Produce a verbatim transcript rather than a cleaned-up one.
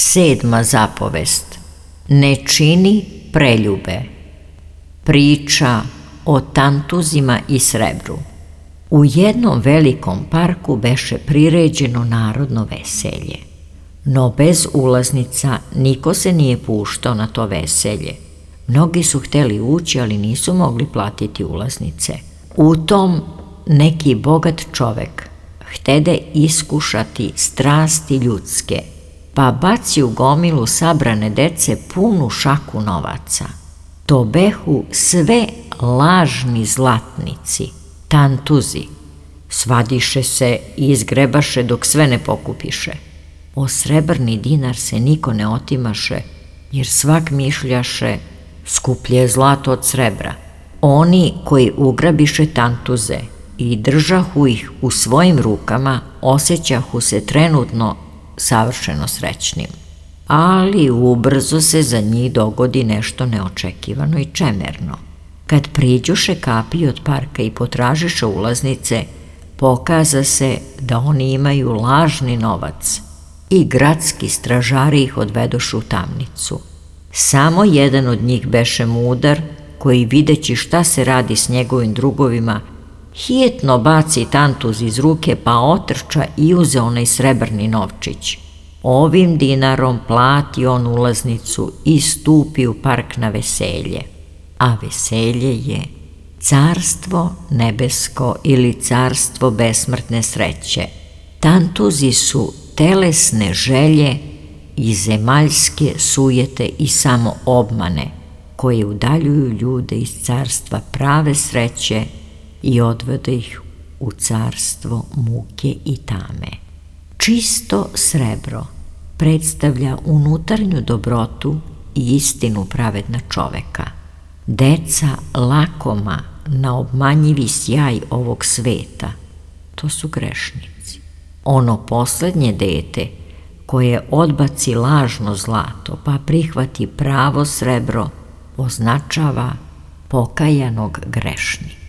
Sedma zapovest. Ne čini preljube. Priča o tantuzima i srebru. U jednom velikom parku beše priređeno narodno veselje. No bez ulaznica niko se nije puštao na to veselje. Mnogi su hteli ući, ali nisu mogli platiti ulaznice. U tom neki bogat čovek htede iskušati strasti ljudske, pa baci u gomilu sabrane dece punu šaku novaca. To behu sve lažni zlatnici, tantuzi. Svadiše se i izgrebaše dok sve ne pokupiše. O srebrni dinar se niko ne otimaše, jer svak mišljaše skuplje je zlato od srebra. Oni koji ugrabiše tantuze i držahu ih u svojim rukama, osjećahu se trenutno savršeno srećnim. Ali ubrzo se za njih dogodi nešto neočekivano i čemerno. Kad priđoše kapiji od parka i potražiše ulaznice, pokaza se da oni imaju lažni novac i gradski stražari ih odvedoše u tamnicu. Samo jedan od njih beše mudar, koji videći šta se radi s njegovim drugovima, hitno baci tantuz iz ruke pa otrča i uze onaj srebrni novčić. Ovim dinarom plati on ulaznicu i stupi u park na veselje. A veselje je carstvo nebesko ili carstvo besmrtne sreće. Tantuzi su telesne želje i zemaljske sujete i samo obmane koje udaljuju ljude iz carstva prave sreće i odvode ih u carstvo muke i tame. Čisto srebro predstavlja unutarnju dobrotu i istinu pravedna čoveka. Deca lakoma na obmanjivi sjaj ovog sveta, to su grešnici. Ono poslednje dete koje odbaci lažno zlato pa prihvati pravo srebro označava pokajanog grešnika.